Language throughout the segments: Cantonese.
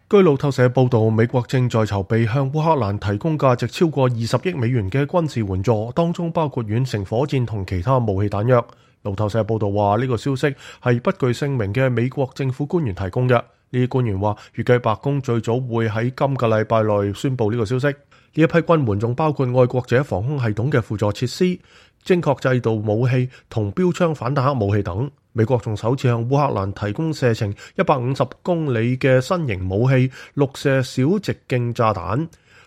據路透社報道，美國正在籌備向烏克蘭提供價值超過20億美元嘅軍事援助，當中包括遠程火箭同其他武器彈藥。路透社報道話，呢個消息係不具姓名嘅美國政府官員提供嘅。呢啲官員話，預計白宮最早會喺今個禮拜內宣布呢個消息。呢一批軍援仲包括愛國者防空系統嘅輔助設施、精確制導武器同標槍反坦克武器等。美國仲首次向烏克蘭提供射程150公里嘅新型武器陸射小直徑炸彈。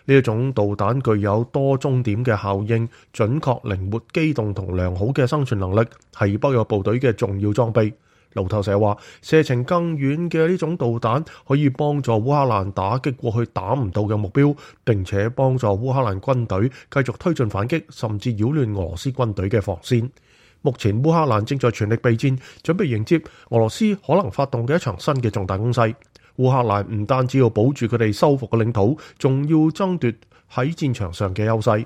呢一種導彈具有多終點嘅效應、準確、靈活、機動同良好嘅生存能力，係北約部隊嘅重要裝備。路透社話，射程更遠嘅呢種導彈可以幫助烏克蘭打擊過去打唔到嘅目標，並且幫助烏克蘭軍隊繼續推進反擊，甚至擾亂俄羅斯軍隊嘅防線。目前烏克蘭正在全力備戰，準備迎接俄羅斯可能發動嘅一場新嘅重大攻勢。烏克蘭唔單止要保住佢哋收復嘅領土，仲要爭奪喺戰場上嘅優勢。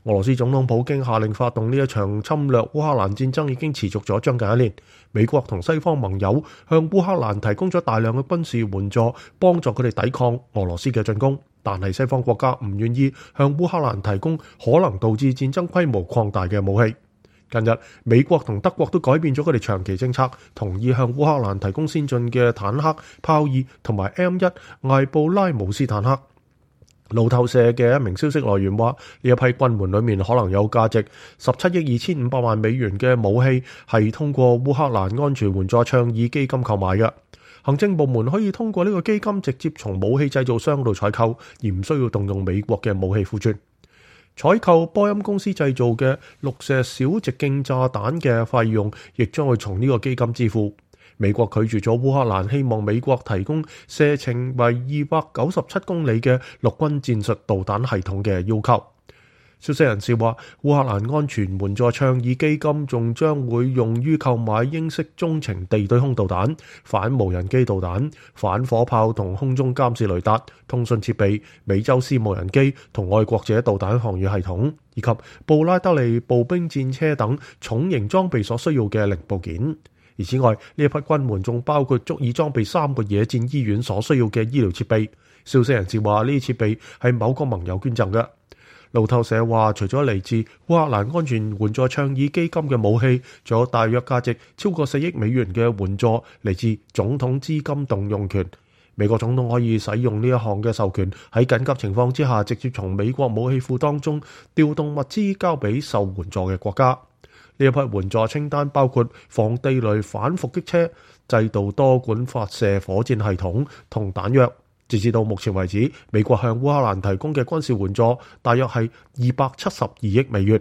俄羅斯總統普京下令發動呢一場侵略烏克蘭戰爭已經持續咗將近1年。美國同西方盟友向烏克蘭提供咗大量嘅軍事援助，幫助佢哋抵抗俄羅斯嘅進攻。但係西方國家唔願意向烏克蘭提供可能導致戰爭規模擴大嘅武器。近日，美國同德國都改變咗佢哋長期政策，同意向烏克蘭提供先進嘅坦克、豹二同埋 M1 艾布拉姆斯坦克。路透社嘅一名消息來源話，呢一批軍援裏面可能有價值17億2500萬美元嘅武器，係通過烏克蘭安全援助倡議基金購買嘅。行政部門可以通過呢個基金直接從武器製造商度採購，而唔需要動用美國嘅武器庫存。採購波音公司製造嘅陸射小直徑炸彈嘅費用，亦將會從呢個基金支付。美國拒絕咗烏克蘭希望美國提供射程為297公里嘅陸軍戰術導彈系統嘅要求。消息人士話，烏克蘭安全援助倡議基金仲將會用於購買英式中程地對空導彈、反無人機導彈、反火炮同空中監視雷達、通訊設備、美洲獅無人機同愛國者導彈防禦系統，以及布拉德利步兵戰車等重型裝備所需要嘅零部件。而此外，呢一批軍援仲包括足以裝備3個野戰醫院所需要嘅醫療設備。消息人士話，呢啲設備係某個盟友捐贈嘅。路透社話，除咗嚟自烏克蘭安全援助倡議基金嘅武器，仲有大約價值超過4億美元嘅援助嚟自總統資金動用權。美國總統可以使用呢一項嘅授權，喺緊急情況之下直接從美國武器庫當中調動物資交俾受援助嘅國家。呢一批援助清單包括防地雷反伏擊車、製造多管發射火箭系統同彈藥。截至到目前為止，美國向烏克蘭提供嘅軍事援助大約係272億美元。